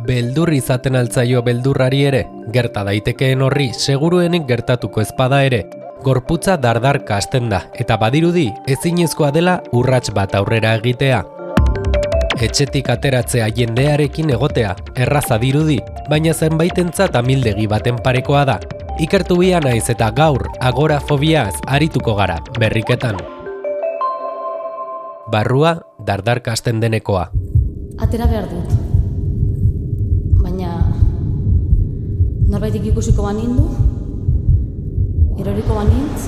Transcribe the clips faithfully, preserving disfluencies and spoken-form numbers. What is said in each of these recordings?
beldur izaten altzaio beldurrari ere, gerta daitekeen horri seguruenik gertatuko ezpada ere, gorputza dardarka hasten da, eta badirudi ezinezkoa dela urrats bat aurrera egitea. Etxetik ateratzea jendearekin egotea, erraza dirudi, baina zenbaitentzat amildegi baten parekoa da. Ikertu bia naiz eta gaur agorafobiaz arituko gara, berriketan. Barrua dardarka hasten denekoa. Atera behar dut. Baina norbaitik ikusiko banindu, eroriko banintz.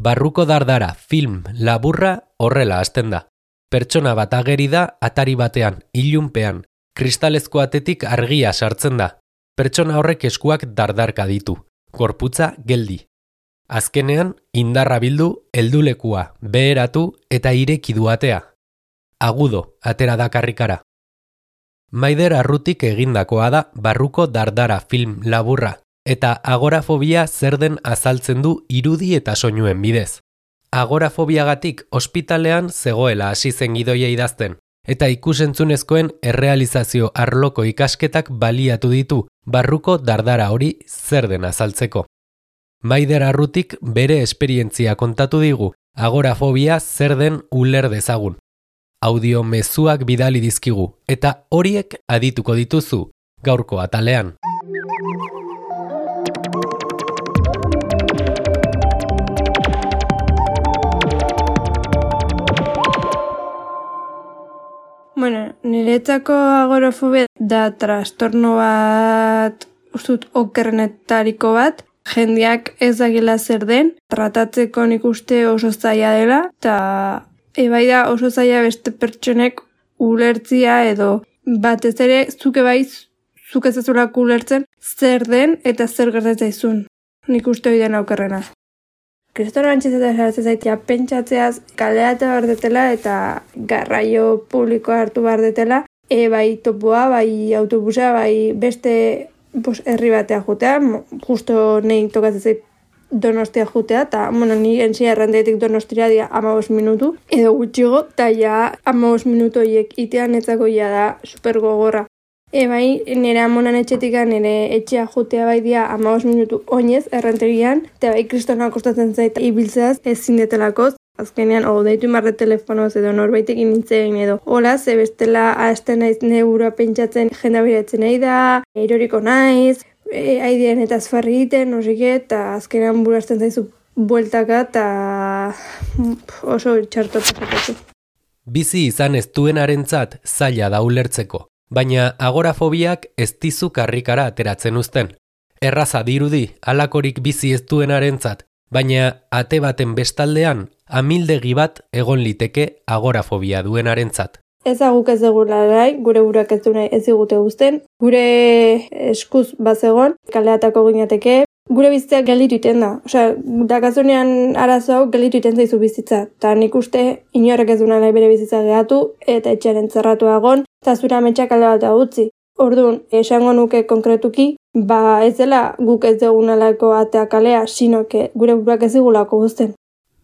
Barruko dardara film laburra horrela hasten da. Pertsona bat ageri da atari batean, ilunpean, kristalezko atetik argia sartzen da. Pertsona horrek eskuak dardarka ditu, gorputza geldi. Azkenean, indarra bildu, heldulekua, beheratu eta ireki du atea. Agudo, atera da karrikara. Maider Arrutik egindakoa da Barruko dardara film laburra, eta agorafobia zer den azaltzen du irudi eta soinuen bidez. Agorafobiagatik ospitalean zegoela hasi zen gidoia idazten, eta ikusentzunezkoen errealizazio arloko ikasketak baliatu ditu Barruko dardara hori zer den azaltzeko. Maider Arrutik bere esperientzia kontatu digu, agorafobia zer den uler dezagun. Audio mezuak bidali dizkigu, eta horiek adituko dituzu gaurko atalean. Bueno, niretzako agorafobia da trastorno bat, ustut okerrenetariko bat, jendeak ez dakila zer den, tratatzeko nik uste oso zaila dela, eta ebai da oso zaila beste pertsonek ulertzia edo batez ere zuke bai zuk ez ezulako ulertzen zer den eta zer gertatzen zaizun. Nik uste hori den aukerrena. Kristona antxezetan zaratzen zaitea pentsatzeaz kaleate behar detela eta garraio publikoa hartu behar detela, e, bai topoa, bai autobusa, bai beste bos, herri batea jutea, justo nahi tokatzen zait Donostia jutea, eta bueno, ni entzia errandetik Donostira dia amabos minutu, edo gutxigo, eta ja amabos minutu horiek itean etzako ja da super gogorra. E bai, nire amonan etxetika nire etxea jutea bai dia amabos minutu oinez erranterian, eta bai kristona kostatzen zait ibiltzeaz ezin detelakoz. Azkenean, o deitu marre telefonoz edo norbaitekin nintzen edo hola, ze bestela hasten naiz neura pentsatzen jenda beratzen nahi da, eroriko naiz, e, aidean eta azfarri egiten, nosike, eta azkenean burazten zaizu bueltaka eta oso txarto pasatu. Bizi izan ez duenarentzat zaila da ulertzeko, baina agorafobiak ez dizu karrikara ateratzen uzten. Erraza dirudi halakorik bizi ez duenarentzat, baina ate baten bestaldean amildegi bat egon liteke agorafobia duenarentzat. Ez aguk ez dugula nahi, gure burak ez du nahi ez digute guzten, gure eskuz bazegon, kaleatako ginateke, gure bizitza gelditu iten da. Osea, dakazunean arazo hau gelditu iten zaizu bizitza. Eta nik uste inorrek ez du nahi bere bizitza gehatu, eta etxearen zerratu agon, eta zure ametsak alde bat utzi. Orduan, esango nuke konkretuki, ba ez dela guk ez dugunalako atea kalea, sino que gure burak ez digulako guzten.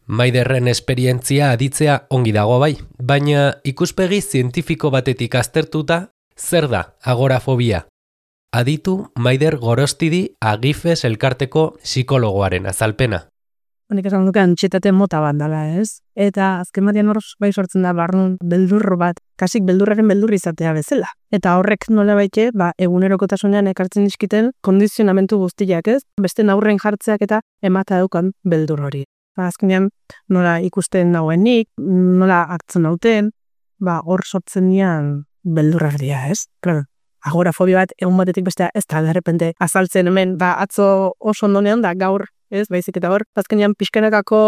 Maiderren esperientzia aditzea ongi dago bai, baina ikuspegi zientifiko batetik aztertuta, zer da agorafobia? Aditu Maider Gorostidi Agifes elkarteko psikologoaren azalpena. Honek esan duke antxietate mota bat dela, ez? Eta azken batean hor bai sortzen da barrun beldur bat, kasik beldurraren beldur izatea bezala. Eta horrek nola baite, ba, egunerokotasunean ekartzen dizkiten kondizionamentu guztiak, ez? Beste aurren jartzeak eta emata daukan beldur hori. Ba, azkenean nola ikusten nauenik, nola hartzen nauten, ba, hor sortzen nian beldurrak dira, ez? Claro. Agorafobia bat egun batetik bestea ez da derrepente azaltzen hemen, ba, atzo oso ondonean da gaur, ez, baizik eta hor, azkenean pixkanakako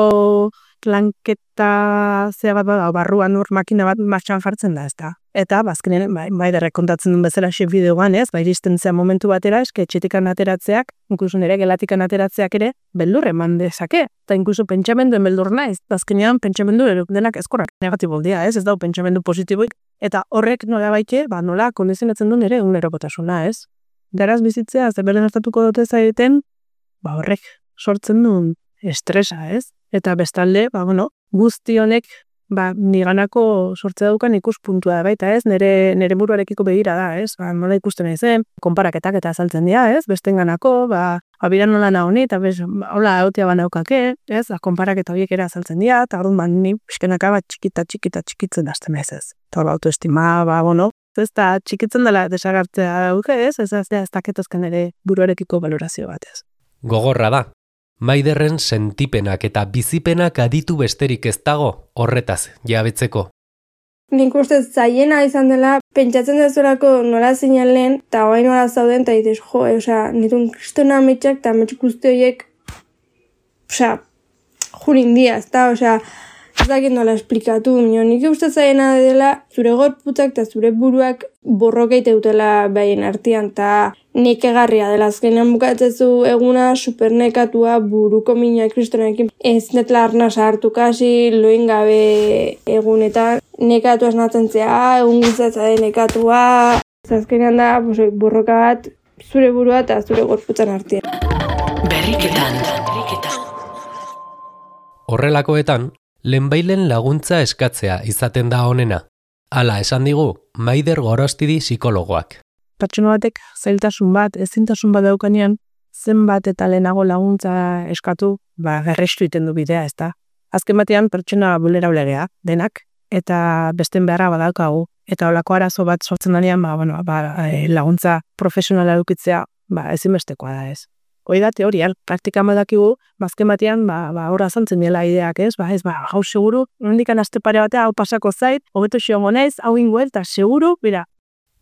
lanketa zea bat bada, barruan hor makina bat martxan jartzen da, ez da. Eta, bazkenean, bai, bai derrek kontatzen duen bezala xe bideoan, ez, bai iristen zea momentu batera, eske etxetikan ateratzeak, inkluso nire gelatikan ateratzeak ere, beldur eman dezake. Eta inkluso pentsamenduen beldur naiz, bazkenean pentsamendu denak ezkorrak negatibo dira, ez, ez dau pentsamendu positiboik, eta horrek nola baite, ba, nola kondizionatzen duen ere egunerokotasuna, ez. Garaz bizitzea, ze beren hartatuko dute zaiten, ba, horrek sortzen duen estresa, ez? Eta bestalde, ba, bueno, guzti honek ba, niganako sortze daukan ikuspuntua da baita, ez? Nere, nere buruarekiko begira da, ez? Ba, nola ikusten nahi zen, konparaketak eta azaltzen dira, ez? Bestenganako, ba, abira nola nahoni, eta bez, hola, hautia banaukake, ez? Ba, konparaketa horiek ere azaltzen dira, eta orduan, ba, ni pixkenaka bat txikita, txikita, txikitzen hasten ez, ez? Eta hor, autoestima, ba, bueno, ez da, txikitzen dela desagartzea duke, ez? Ez da, ez daketozken ere buruarekiko valorazio bat, ez? Gogorra da. Maiderren sentipenak eta bizipenak aditu besterik ez dago horretaz jabetzeko. Nik uste zaiena izan dela, pentsatzen dezulako nola zinalen, eta hoain nola zauden, eta ditez, jo, e, osea, nitun kristona ametxak, eta ametxuk guzti horiek, osea, jurin dia, ez da, osea, ez dakit nola esplikatu, minio, nik uste zaiena dela, zure gorputzak eta zure buruak borrokeite dutela behaien artean, eta nekegarria dela, azkenean bukatzezu eguna supernekatua buruko mina kristonekin, ez netla arna sartu kasi, loin gabe egunetan, nekatu asnatzen zea, egun guztatza den nekatua, azkenean da, pues, borroka bat, zure burua eta zure gorputzan artean. Berriketan. Horrelakoetan, lehenbailen laguntza eskatzea izaten da honena. Hala esan digu, Maider Gorostidi psikologoak. Pertsona batek zailtasun bat, ezintasun bat daukanean, zenbat eta lehenago laguntza eskatu, ba, gerrestu iten du bidea, ez da. Azken batean pertsona vulnerablegea, denak, eta besten beharra badaukagu. Eta holako arazo bat sortzen danean, ba, bueno, ba, laguntza profesionala edukitzea, ba, ezinbestekoa da, ez. Hoi da teorian, praktikan badakigu, bazken batean, ba, ba, horra zantzen dela ideak, ez? Ba, ez, ba, hau seguru, nondikan aste pare batea, hau pasako zait, hobeto xiongo naiz, hau ingoel, eta seguru, bera.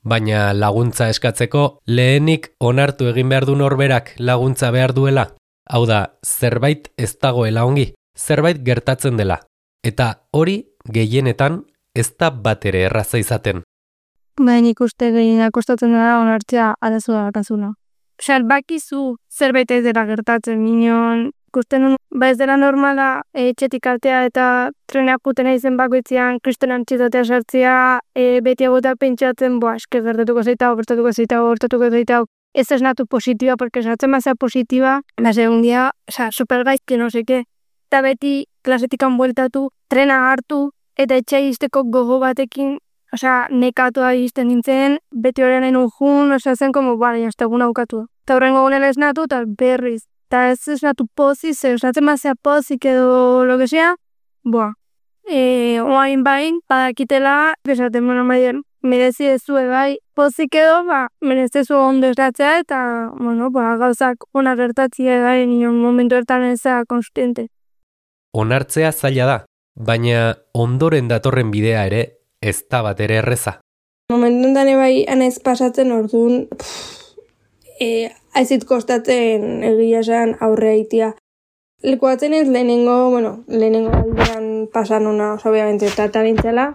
Baina laguntza eskatzeko, lehenik onartu egin behar du norberak laguntza behar duela. Hau da, zerbait ez dagoela ongi, zerbait gertatzen dela. Eta hori, gehienetan, ez da bat ere erraza izaten. Baina ikuste gehienak kostatzen dara onartzea arazua dakazuna. Osea, bakizu zerbait ez dela gertatzen minon, ikusten nun, ba ez dela normala etxetik altea eta trenak putena izen bakoitzean, kristonan txitatea sartzea, e, beti agota pentsatzen, boa, eske gertatuko zeita, bertatuko zeita, bertatuko zeita, ez esnatu positiba, porque sartzen mazea positiba, ba segun dia, osea, supergaizki no seke, eta beti klasetikan bueltatu, trena hartu, eta etxai izteko gogo batekin, osea, nekatua izten nintzen, beti horrean nahi jun, osea, zen como, bale, jazte egun aukatu. Eta horrengo gunela esnatu, eta berriz. Eta ez esnatu pozik, ze esnatzen mazea pozik edo lo que sea, boa. E, oain bain, badakitela, esaten, bueno, Maider, merezi ezue bai, pozik edo, ba, merezezu ondo esnatzea, eta, bueno, ba, gauzak ona gertatzea bai, nion momentu ertan eza konstiente. Onartzea zaila da, baina ondoren datorren bidea ere, ez da bat ere erreza. Momentu enten bai anaiz pasatzen orduan, e, aizit kostatzen egia esan aurre haitia. Lekuatzen ez lehenengo, bueno, lehenengo aldean pasan una, oso obviamente, eta nintzela,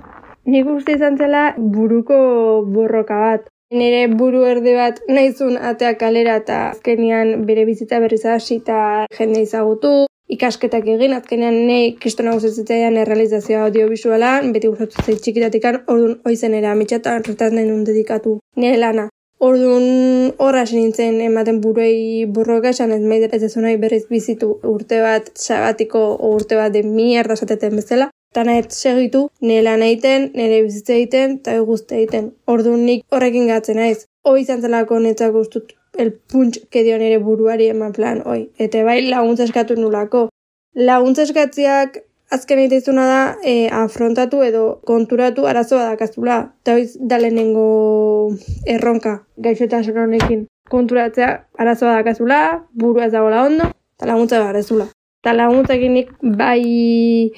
nik uste izan zela buruko borroka bat. Nire buru erde bat nahizun atea kalera eta azkenean bere bizitza berriz hasi eta jende izagutu, ikasketak egin, azkenean nahi kristona gustatzen errealizazioa audiovisualan, beti gustatzen zait txikitatikan, orduan oizen ere amitxatan retaz nahi nun dedikatu nire lana. Orduan horra nintzen ematen buruei borroka esan ez Maider ez nahi berriz bizitu urte bat sabatiko urte bat de mierda esateten bezala. Eta nahi segitu, nire lan egiten, nire bizitza egiten, eta guzti egiten. Orduan nik horrekin gatzen naiz. Hoi izan zelako netzak guztut el punch que dio nire buruari eman plan, oi. Eta bai laguntza eskatu nulako. Laguntza eskatziak azken egitezuna da e, afrontatu edo konturatu arazoa dakazula. Eta hoiz da lehenengo erronka gaixotasun honekin. Konturatzea arazoa dakazula, burua ez dagoela ondo, eta laguntza garezula. Eta laguntzakin nik bai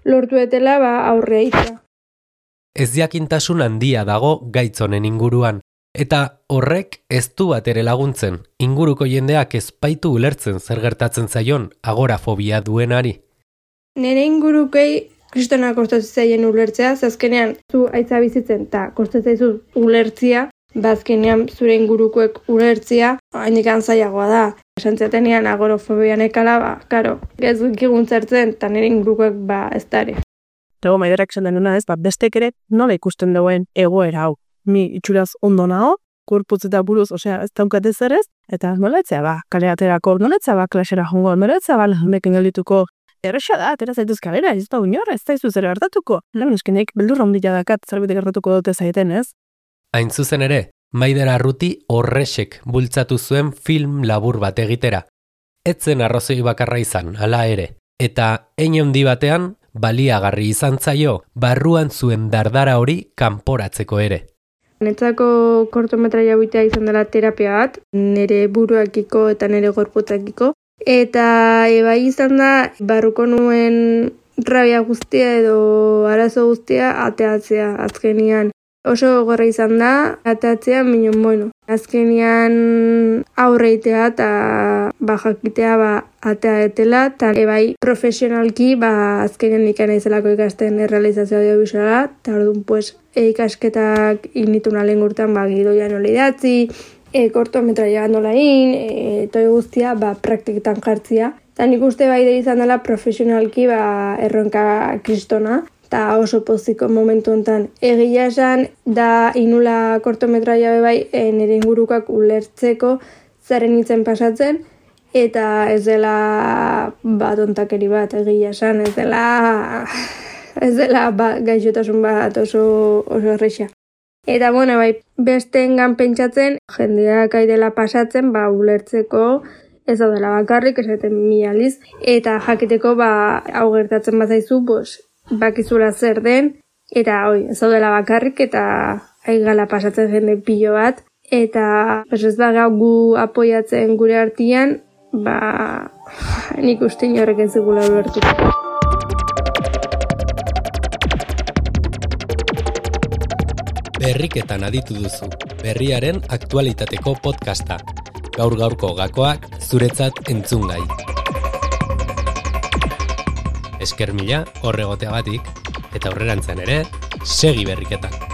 lortu etela ba, aurre aitea. Ez jakintasun handia dago gaitzonen inguruan, eta horrek ez du bat ere laguntzen, inguruko jendeak ez baitu ulertzen zer gertatzen zaion agorafobia duenari. Nere ingurukei kristona kostatu zaien ulertzea, zazkenean zu aitza bizitzen eta kostatzaizu ulertzia, bazkenean zure ingurukoek ulertzia, hainikan zailagoa da. Esan zatenean agorafobia nekala, ba, karo, ez dukigun zertzen, eta nire ingurukoek ba ez dare. Tego Maiderak esan denuna ez, ba, bestek ere nola ikusten duen egoera hau. Mi itxuraz ondo nago, korputz eta buruz, osea, ez daukate zer ez, Eta noletzea ba, kale aterako, noletzea ba, klasera jongo, noletzea ba, lahunekin geldituko. Erresa da, atera zaituz kalera, ez da unor, ez da izu zer hartatuko. Lan eskenek, beldurra ondila dakat, zerbait gertatuko dute zaiten, ez? Hain zuzen ere, Maider Arruti horresek bultzatu zuen film labur bat egitera. Etzen arrazoi bakarra izan, hala ere. Eta hein handi batean, baliagarri izan zaio, barruan zuen dardara hori kanporatzeko ere. Netzako kortometraia bitea izan dela terapia bat, nire buruakiko eta nire gorputzakiko. Eta ebai izan da, barruko nuen rabia guztia edo arazo guztia ateatzea azkenian. Oso gorra izan da, ateatzea, minon, bueno, azkenian aurreitea eta bajakitea ba, atea etela, eta ebai profesionalki ba, azkenian ikana izelako ikasten errealizazio audiovisuala, eta orduan, pues, ikasketak inituna lehen gurtan ba, gidoia nola idatzi, e, kortometraia nola egin, e, toi guztia ba, praktiketan jartzia. Eta nik uste bai da izan dela profesionalki ba, erronka kristona, eta oso poziko momentu honetan. Egia esan da inula kortometraia bebai e, nire ingurukak ulertzeko zaren hitzen pasatzen, eta ez dela bat ontakeri bat egia esan, ez dela, ez dela ba, gaixotasun bat oso, oso erreixa. Eta bueno, bai, besteengan pentsatzen, jendeak aidela pasatzen, ba, ulertzeko ez dela bakarrik, esaten mi aliz, eta jakiteko ba, hau gertatzen bazaizu, pues, bakizula zer den, eta oi, ez dela bakarrik, eta aigala pasatzen jende pilo bat, eta pues, ez da gau gu apoiatzen gure artian, ba, nik uste inorrek ez dugula ulertuko. Berriketan aditu duzu, berriaren aktualitateko podcasta. Gaur gaurko gakoak zuretzat entzungai. Esker mila horregoteagatik, eta aurrerantzean ere, segi berriketan.